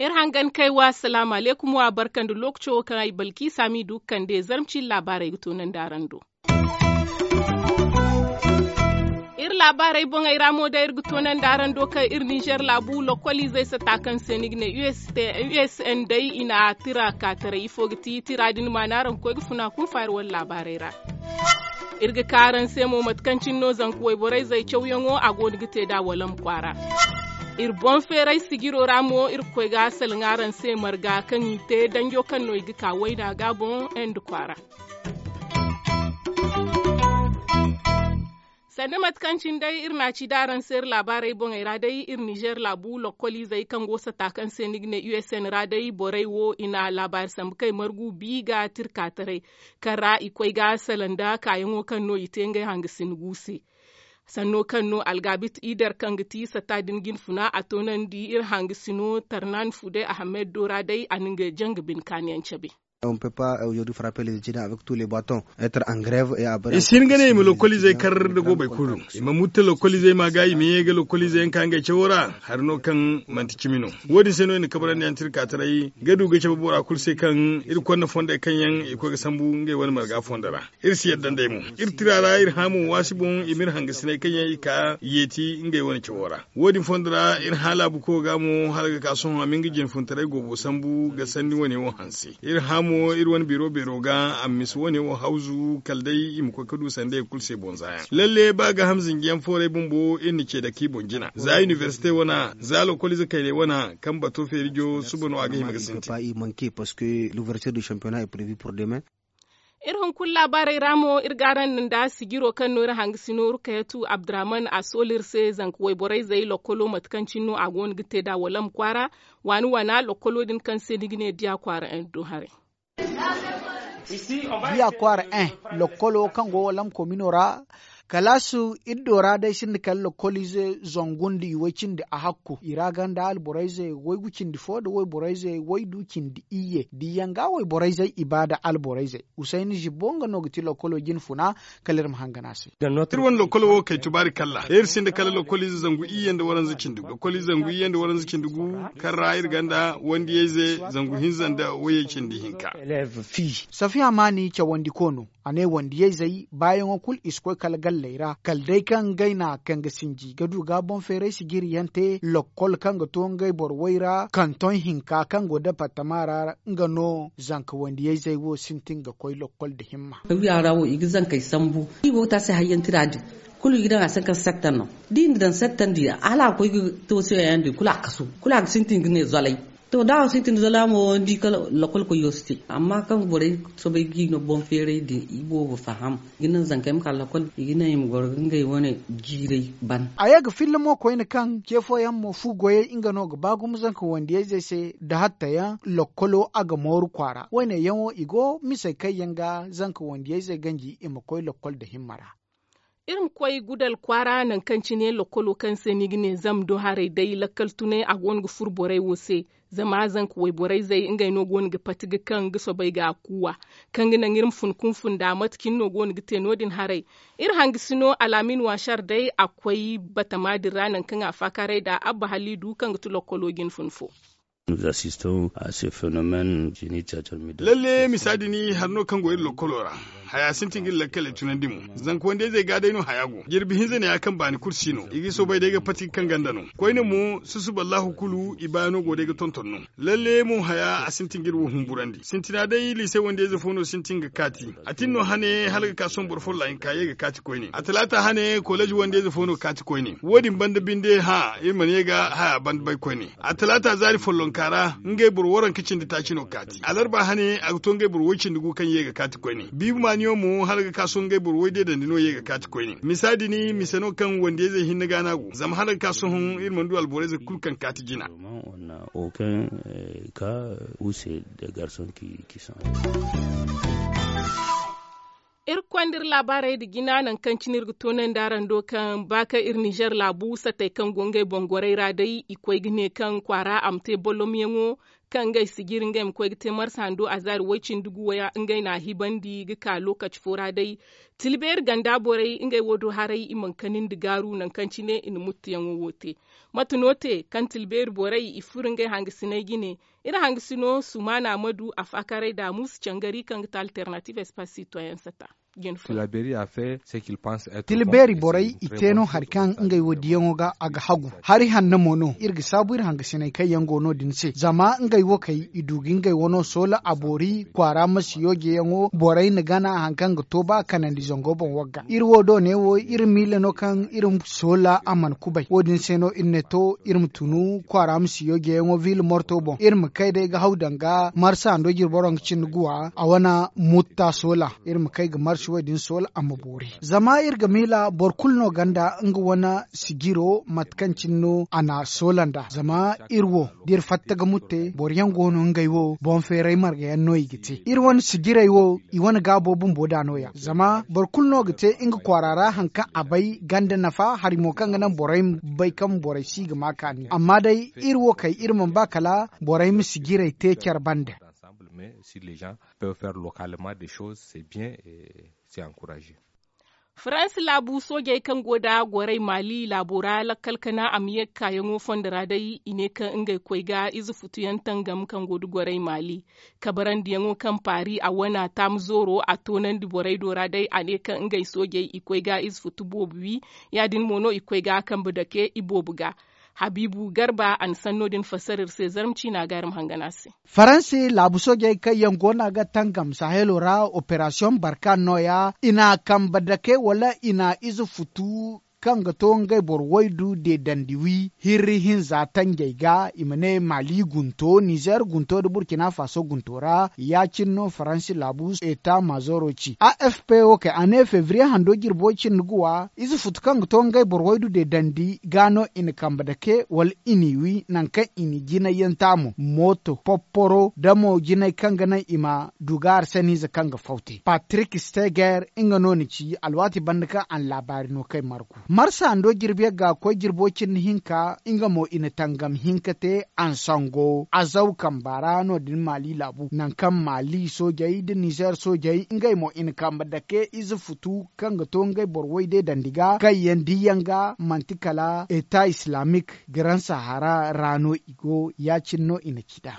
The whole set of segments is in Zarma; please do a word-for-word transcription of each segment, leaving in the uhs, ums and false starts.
Iri hangan kay wa salaamu alaykum wa barka nda lookaco wo kaŋ ay balki saami du ga kande zarma ciine laabaarey ga toonandi araŋ do. Iri laabaarey boŋey ra mo day iri ga toonandi araŋ do kaŋ iri ninzeer laabu lokkoliizey sata kaŋ se ni ga ne u s n day i na tira kaataray ifo ga ti tira din maana araŋ ga koy ga funa kunfa iri wane laabaarey ra. Iri ga ka araŋ se mo mate kaŋ cine no zanka wayborey zay cawyaŋo a go no ga te nd'a walam kwaara. Iri boŋ feeray sijiro ra mo iri ga koy ga salaŋ araŋ se marga kaŋ i te danjo kaŋ no i ga ka wayna ga boŋ ende kwaara. Sanda mate kaŋ cine day iri na a ci da araŋ se iri laabaarey boŋey ra day iri ninzeer laabu lokkoliizey kaŋ go sata kaŋ se ni ga ne u s n ra day borey wo i na laabaari sambu kay margu bi ga tirkaataray kaŋ ra i koy ga salaŋ nda kaayaŋo kaŋ no i te ngey hangasin gu se. Sanno kaŋ no algaabit ider kaŋ ga ti sata din jinfuna a toonandi iri hangasino tarnan fude ahamed do ra day a na nga janga bine kaaniyaŋ cabe. I si hin ga ne i ma lokkoliizey kar nda goobey kulu, i ma mutta lokkoliizey ma ga i ma ye ga lokkoliizey yaŋ ka ngey cawo ra. Hari no kaŋ manti cimi no. Wo- din se no i na kabrandi yaŋ tirkaataray ga du ga cabe bora kulu se kaŋ iri konda fondey kaŋ yaŋ i koy ga sambu ngey wane marga fondo ra. Iri si yadda nd'ey mo. Iri tira ra iri hã mo waasi boŋ i ma iri hangasiney kaŋ yaŋ i ka yeeti ngey wane cawo ra. Wo- din fondo ra iri hã laabu koyo ga mo hala ga ka sohõ a ma nga jinfuntaray goobo sambu ga sanni wane wo hanse. Iri hã mo iri wane biro beero ga a ma misa wane wo hawzu kala day i ma koy ga du sandey kulu se boŋ za yaŋ lalle ba gaaham zinjiyaŋ fooray bumbo iri na ce dake i boŋ jina za inibersite wane, za lokoliize kayney wane, kaŋ bato feerijo suba no a ga hima ga sintin. Iri hunkuna laabaarey ra mo iri ga araŋ nda sijiro kaŋ no iri hangasino rukayatu abdurahman a soolu iri se zanka wayborey zey lokkolo mate kaŋ cine no a go no ga te nd'a walam kwaara. Waani waana lokkolo din kaŋ se ni ga ne diya kwaara en do haray. Diya kwaara en, lokkolo kaŋ go walam komino ra. Kalaasi iri do ra day sinda kala lokkoliize zangu nda i way cindi a hakku i ra ganda alborayze waygu cindi fo nda wayborayze waydu cindi iyye diyaŋ ga wayborayzey i ba nda alborayzey. Usayni zibbo nga no ga ti lokkolo jinfuna. Kala iri ma hangan a se. Iri wane lokkolo wo kay tubaari kalla iri sinda kala lokkoliize zangu iyye nda waranza cindi gu lokkoliize zangu iyye nda waranza cindi gu kaŋ ra iri ganda wandiyayze zangu hinza nda wayey cindi hinka. Safiya maani cawandiko no. A ne wandiyayzey baayaŋo kulu i si koy kala galley ra kala day kaŋ ngey na kaŋ ga sinji ga du ga boŋ feeray sijiriyaŋ te lokkol kaŋ ga to ngey boro way ra kanton hinka kaŋ go departama ra. Nga no zanka wandiyayzey wo sintin ga koy lokkol nda himma. Wiya ra wo i ga zankey sambu i go ga te a se hayyaŋ tira din kulu i ga daŋ a se kaŋ settan no da i na daŋ settan di hala a koy ga to se yaŋ din kulu a kasu kulu a ga sintin ga ne zolay. To da a sintin zolay mo ni di kala lokol koyo si te amma kaŋ borey soobay ga i no boŋ feeray din i boobo faham i ga naŋ zankey ma ka lokol i ga naŋ i ma goro ga ngey wane jiiray ban. A ye ga filla mo koyne kaŋ ce fooyaŋ mo fu goyey nga no ga ba gumo zanka wandiyayzey se nda hattayaŋ lokkolo a ga mooru kwaara wayne yaŋo i go misey kaŋ yaŋ ga zanka wandiyayzey ganji i ma koy lokkol nda himma ra. Iri ma koy gudal kwaara nangu kaŋ cine lokkolo kaŋ se ni ga ne zama do haray day lakkal tunay a go no ga furo borey wo se. Zama zanka wayborayzey ngey no go no ga pati ga kaŋ ga soobay ga a kuuwa kaŋ ga naŋ iri ma fun kunfun nda mate cine no go no ga te no- din haray. Iri hangasino alaamin waasar day a koy batama din ra nangu kaŋ a faakaaray nda abba haliidu kaŋ ga ti lokkolo jinfun fo. Lalle misa din hari no kaŋ go iri lokkolo ra. Haya sintin ga iri lakkaley tunandi mo zanka wandiyayzey ga day no haya go jirbi hinza ne ya kaŋ baani kulu si no i ga soobay day ga pati ga kaŋ ganda no. Koyne mo susuba allahu kulu i baayaŋo go day ga tonton no. Lalle mo haya a sintin ga iri wo humburandi sintina day liise wandiyayze fo no sintin ga kaati. A tin no hane hala ga ka sohõ boro follo a hin ka ye ga kaati koyne a talaata hane koleeji wandiyayze fo no kaati koyne wo- din banda binde hã iri mana ye ga haya banda bay koyne. A talaata zaari follonka ra ngey boro waranka cindi taaci no kaati alarba hane a ga to ngey boro woy cindi gu kaŋ ye ga kaati koyne biibi maaniyo mo hala ga ka sohõ ngey boro woy deedandi no ye ga kaati koyne misa din mise no kaŋ wandiyayzey hinne ga no a go zama hala ga ka sohõ iri mana du alborayzey kulu kaŋ kaati jina. Iri ga konda iri laabaarey nda jina nangu kaŋ cine iri ga toonandi araŋ do kaŋ ba kaŋ iri nizer laabu satey kaŋ go ngey boŋ gorey ra day i koy ga ne kaŋ kwaara a ma te bolomyaŋo. kaŋ ngey sijiri ngey ma koy ga te marsa hando azaari way-cindi guwa ngey n'a hibandi ga ka lookaci fo ra day. Tilbeeri ganda borey ngey wo do haray i mana kanindi gaaru nangu kaŋ cine i na muttuyaŋo wo te. Mate no te kaŋ tilbeeri borey i furo ngey hangasiney jine? Iri hangasino sumaana ma du a faakaray da muusu cangari kaŋ ga ti alternative espace citoyen sata. Tilbeeri borey i te no hari kaŋ ngey wo diyaŋo ga a ga hagu. Hari hanno mo no iri ga saabu iri hangasiney kaŋ yaŋ go no- din se zama ngey wo kay i du ga ngey wano soola a boori kwaara ma si yoojeyaŋo borey na gana hari kaŋ ga to ba kanandi zango boŋ wagga iri wo do ne wo iri miila no kaŋ iri soola a mana kubay wo- din se no iri ne to iri ma tunu kwaara ma si yoojeyaŋo viila morto boŋ iri ma kay day ga haw danga marsa hando jirboro nga cindi guwa a wane mutta soola. Iri ma kay ga marsi wo- din soola a ma boori zama iri ga miila boro kulu no ganda nga wane sijiro mate kaŋ cine no a n'a soola nd'a zama iri wo da iri fatta ga mutte boro yaŋ go no ngey wo boŋ feeray marga yaŋ no i ga te iri wane sijirey wo i wane gaabo bumbo da no- ya zama boro kulu no ga te nga kwaara ra hari kaŋ a bay ganda nafa hari mo kaŋ ga naŋ borey ma bay kaŋ borey si ga ma kaani amma day iri wo kay iri mana ba kala borey ma sijirey te care bande. Peuvent faire localement des choses c'est bien. C'est encourager. Faransi laabu soojey kaŋ go nda gorey maali laabo ra lakkal kana a ma ye ga kaayaŋo fondo ra day i ne kaŋ ngey koy ga ize futuyaŋ tangam kaŋ go nda gorey maali kabarandiyaŋo kaŋ paari a wane a taamu zooro a toonandi borey do ra day a ne kaŋ ngey soojey i koy ga ize futu boobo wi. Ya- din mo no i koy ga kambe dake i boobo ga. Habiibu garba a na sanno din fassara iri se zarma ciina ga iri ma hangan a se. Faransi laabu soojey kaŋ yaŋ go no a ga tangam sahelo ra operasiyoŋ barkan nooya i n'a kambe dake wala i n'a ize futu kaŋ ga to ngey boro waydu deedandi wi hirri hinza tanjey ga i ma ne maali gunto nizer gunto nda burkina faso gunto ra ya- cine no faransi laabu eta mazoro ci a f p wo kay a ne febriye hando jirbo cindi guwa ize futu kaŋ ga to ngey boro waydu deedandi ga no i na kambe dake wala i n'i wi nangu kaŋ i na jinay yaŋ taamu mooto popporo nda mo jinay kaŋ ga naŋ i ma du ga arsaniize kaŋ ga faw te patrik steger nga no na ci alwaati banda kaŋ a na laabaari no kay margu marsa hando jirbi yaŋ ga koy jirbo cindi hinka nga mo i na tangam hinka te ansango azaw kamba ra no- din maali laabu nangu kaŋ maali soojey nda nizer soojey ngey mo i na kambe dake ize futu kaŋ ga to ngey boro way deedandi ga kaŋ yaŋ di yaŋ ga manti kala eta islamik garan sahara ra no i go ya- cine no i na ci nd'a.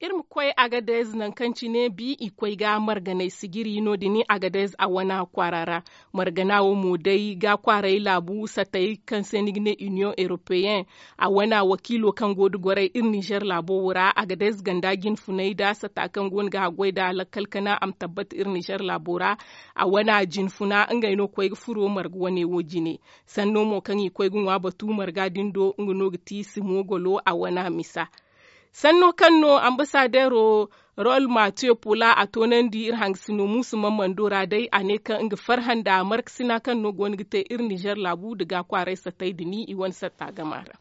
Iri ma koy agadez nangu kaŋ cine bi i koy ga marganay sijiri no- din agadez a wana kwaara ra. Margana wo mo day ga kwaaray laabu satay kaŋ se ni ga ne union europeyen a wana wakiilo kaŋ go nda gorey iri nizer laabo wo ra agadez ganda jinfunay nda sata kaŋ go no ga haggoy nda lakkal kana a ma tabbata iri nizer laabo ra. A wana jinfuna ngey no koy ga furo marga wane wo jine. Sanno mo kaŋ i koy ga ŋwa batu marga din do nga no ga ti simogolo a wana misa. Sanno kaŋ no ambasadeero rol matiyo pola a toonandi iri hangasino muusu mammando ra day a ne kaŋ nga farhã nda markasina kaŋ no go no ga te iri nizer laabu nda ga kwaaray sattay da ni i wane satta gama ra.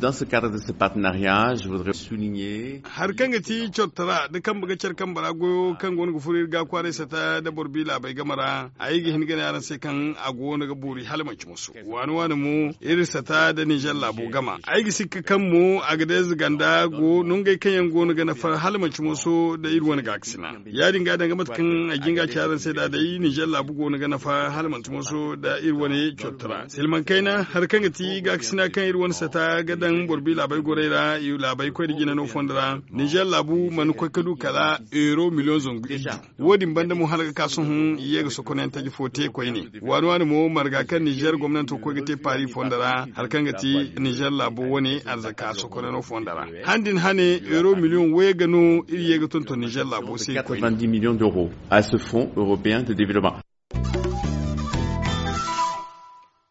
Dans ce cadre de ce partenariat je voudrais souligner hari kaŋ ga ti cortara da kambe ga care kambe ra goyo kaŋ go no ga furo iri ga kwaaray satta nda boro bi laabey game ra ay ga hin ga ne araŋ se kaŋ a go no ga boori hala manci moso waani waani mo iri satta nda nizer laabo game. Ay ga sikka kaŋ mo a ga day zaganda go nongey kaŋ yaŋ go no ga nafar hala manci moso nda iri wane gaakasina ya- din ga danga mate kaŋ ay ga hin ga a ci araŋ se nda day nizer laabu go no ga nafar hala manci moso nda iri wane cortara silmaŋ kayna hari kaŋ ga ti gaakasina kaŋ iri wane satta ga daŋ boro bi laabey gorey ra laabey koy nda jina no fondo ra nizer laabu mana koy ga du kala euro miliyoŋ zangu iri du. Wo- din banda mo hala ga ka sohõ i ye ga sokonayaŋ taji fo te koyne. Waani waani mo marga kaŋ nizer gomnanto koy ga te paari fondo ra hari kaŋ ga ti nizer laabo wane arzaka sokonano fondo ra han din hane euro miliyoŋ wayga no iri ye ga tonton nizer laabo se koyne. Millions d'euros à ce fonds européen de développement.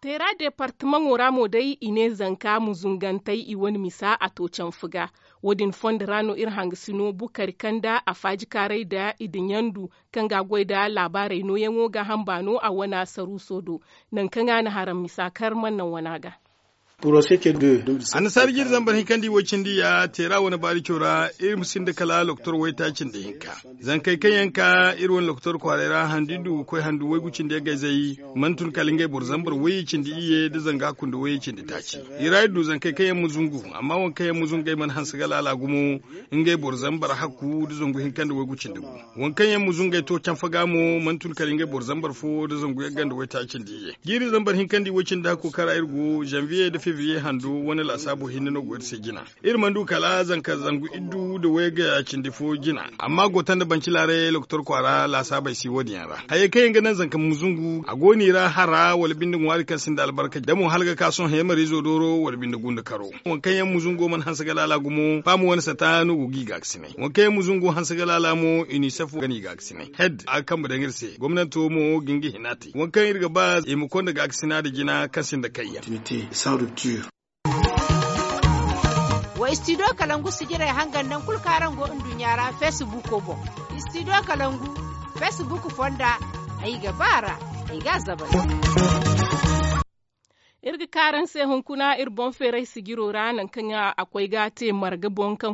Teera departamaŋo ra mo day i ne zanka muzungantey i wane misa a to canfu ga. Wo- din fondo ra no iri hangasino bukari kanda a faaji kaaray nda i da ɲandu kaŋ ga a goy nda laabaarey nooyaŋo ga hamba no a wana saruuso do. Nangu kaŋ a na haraŋ misa kar mana naŋ wana ga. Annasaari jiiri zambar hinkandi way cindi ya teera wane baarico ra iri ma sinda kala lokotor waytaaci nda hinka. Zankey kaŋ yaŋ ka iri wane lokotor kwaaray ra handu iri du ga koy handu waygu cindi yaŋ gayzey, mana tun kala ngey boro zambar wayye cindi iyye nda zanga kunda wayye cindi taaci. I ra iri du zankey kaŋ yaŋ ma zungu, amma waŋ kaŋ yaŋ ma zungu ngey mana hanse ga laala gumo. Ngey boro zambar hakku nda zangu hinka nda waygu cindi gu. Waŋ kaŋ yaŋ ma zungey to canfa ga mo mana tun kala ngey boro zambar fo nda zangu yagga nda waytaaci nda iyye. Jiiri zambar hinka nda iway cindi hakku kaŋ ra iri go zanviye nda febriye hando wane laasaabo hinne no go iri se jina. Iri mana du kala zanka zangu iddu nda wayga cindi fo jina. Amma go tanda banci laaray lokotor kwaara laasaabey si wo- din yaŋ ra. Hayey kaŋ yaŋ ga naŋ zanka ma zungu a go no i ra hara wala binde ŋwaari kaŋ sinda albarka da mo hala ga ka sohõ hemariizo dooro wala binde gunda karo. Waŋ kaŋ yaŋ ma zungo mana hanse ga laala gumo faama wane sata no go ga i gaakasinay. Waŋ kaŋ yaŋ ma zungo hanse ga laala mo inisef ga no i gaakasinay. Hed a ga kambe daŋ iri se gomnanto mo ga nga hina te waŋ kaŋ iri ga ba i ma konda gaakasina nda jina kaŋ sinda kayyaŋ. Wa istidiyo kalangu sijirey hangan naŋ kulu kaŋ araŋ go nduɲɲa ra feesibuuko boŋ. Istidiyo kalangu feesibuuko fonda. Ay ga ba a ra. Ay ga a zabay. Iri ga ka araŋ se hunkuna iri boŋ feeray sijiro ra naŋ kaŋ a koy ga a te marga boŋ kaŋ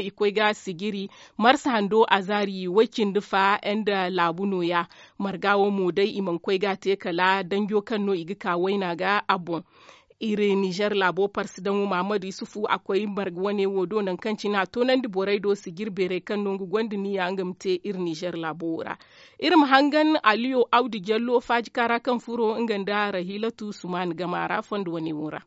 i koy ga a sijiri. Marsa hando azaari way- cindi fa nda laabu nooya. Marga wo mo day i mana koy ga a te kala danjo kaŋ no i ga ka wayna ga a boŋ. Iri nizer laabo parsi daŋo mahamadu yusufu a koy marga wane wo do naŋ kaŋ cine a toonandi borey do sijiri beerey kaŋ no nga gonda niya nga ma te iri nizer laabo wo ra. Iri ma hangan aliyo awdu jallo faajika ra kaŋ furo nga nda rahilatu sumaani gama ra fondo wane wo ra.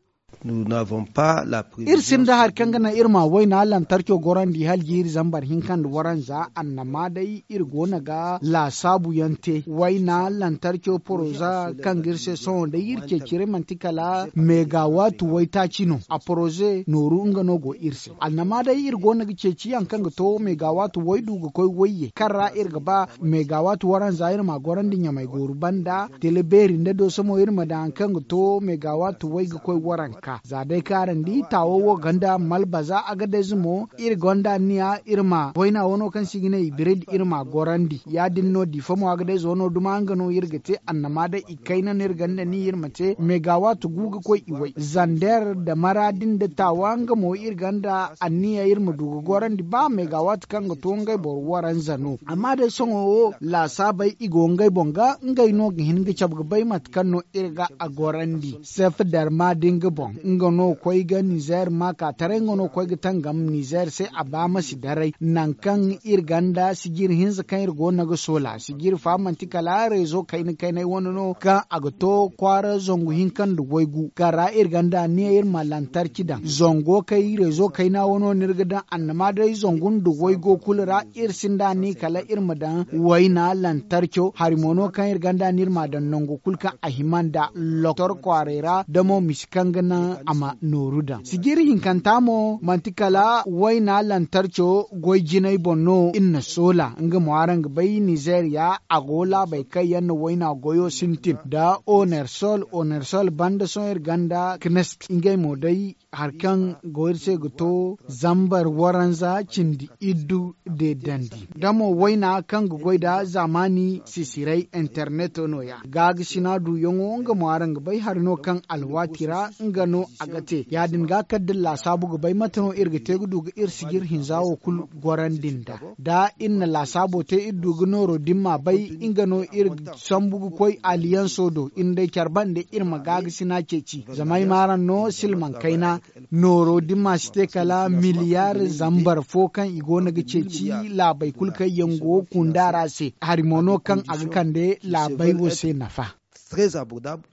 Iri sinda hari kaŋ ga naŋ iri ma wayna lantarco gorandi hala jiiri zambar hinka nda waranza annama day iri go no ga laasaabu yaŋ te wayna lantarco poroza kaŋ ga iri se sohõ day iri ceeciray manti kala megawaatu waytaaci no a poroze nooru nga no go iri se annama day iri go no ga ceeci yaŋ kaŋ ga to megawaatu waydu ga koy wayye kaŋ ra iri ga ba megawaatu waranza iri ma gorandi ɲamay gooru banda tele beeri nda dooso mo iri ma daŋ hari kaŋ ga to megawaatu way ga koy waranka za day kaarandi taawo wo gonda malbaza agadayze mo iri gonda anniya iri ma wayna wano kaŋ se i ga ne ibirid iri ma gorandi ya- din no diifa mo agadayze wano duma nga no iri ga te annama day i kayna no iri gonda ni iri ma te megawaatu gu ga koy iway zander da maraadi nda taawa nga mo iri gonda anniya iri ma du ga gorandi ba megawaatu kaŋ ga to ngey boro waranza no amma day sohõ wo laasaabey i go ngey boŋ ga ngey no ga hin ga cabe ga bay mate kaŋ no iri ga a gorandi sef darma da nga boŋ nga no koy ga nizer ma ka taray nga no koy ga tangam nizer se a ba ma si daray naŋ kaŋ iri gonda sijiri hinza kaŋ iri go no ga soola sijiri fa manti kala reezo kayna kaynay wane no kaŋ a ga to kwaara zangu hinka nda waygu kaŋ ra iri gonda anniya iri ma lantarki daŋ zango kay reezo kayna wano no iri ga daŋ annama day zangu nda waygo kulu ra iri sinda ni kala iri ma daŋ wayna lantarco hari mo no kaŋ iri gonda ni iri ma daŋ nangu kulu kaŋ a hima nda loktor kwaaray ra da mo misi kaŋ ga naŋ a ma nooru daŋ sijiri hinkanta mo manti kala wayna lantarco goy jinay boŋ no iri na soola nga mo araŋ ga bay nizeeriya a go laabey kaŋ yaŋ na wayna goyo sintin da onersol onersol banda sohõ iri gonda knest ngey mo day hari kaŋ go iri se ga to zambar waranza cindi iddu deedandi da mo wayna kaŋ ga goy da zaamaani sisiray interneto nooya gaagasina duyaŋo nga mo araŋ ga bay hari no kaŋ alwaati ra nga no a ga te ya- din ga kala da iri laasaabu ga bay mate no iri ga te ga du ga iri sijir hinza wo kulu gorandi nda da iri na laasaabo te iri du ga nooro din ma bay nga no iri sambu ga koy aliyanso do iri nda care bande iri ma gaagasina ceeci zama ay ma araŋ no silmaŋ kayna nooro da ni ma si te kala miliyar zambar fo kaŋ i go no ga ceeci laabey kulu kaŋ yaŋ go kunda ra se hari mo no kaŋ a ga kande laabey wo se nafa. Très abordable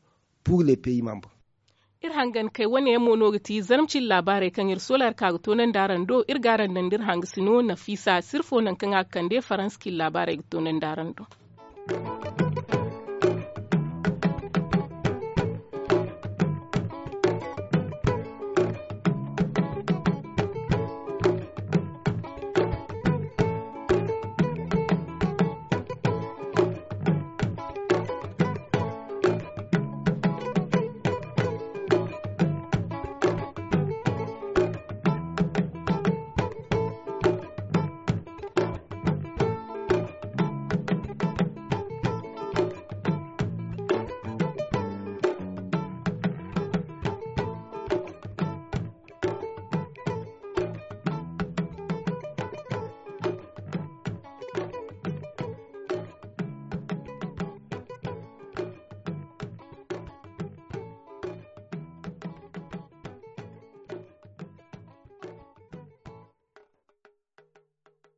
pour les pays membres. Iri hangan kay wane yaŋ mo no ga ti zarma cine laabaarey kaŋ iri solar ka ga toonandi araŋ do iri ga araŋ daŋ da iri hangasino nafiisa sirfo naŋ kaŋ a ga kande faransa cine laabaarey ga toonandi araŋ do.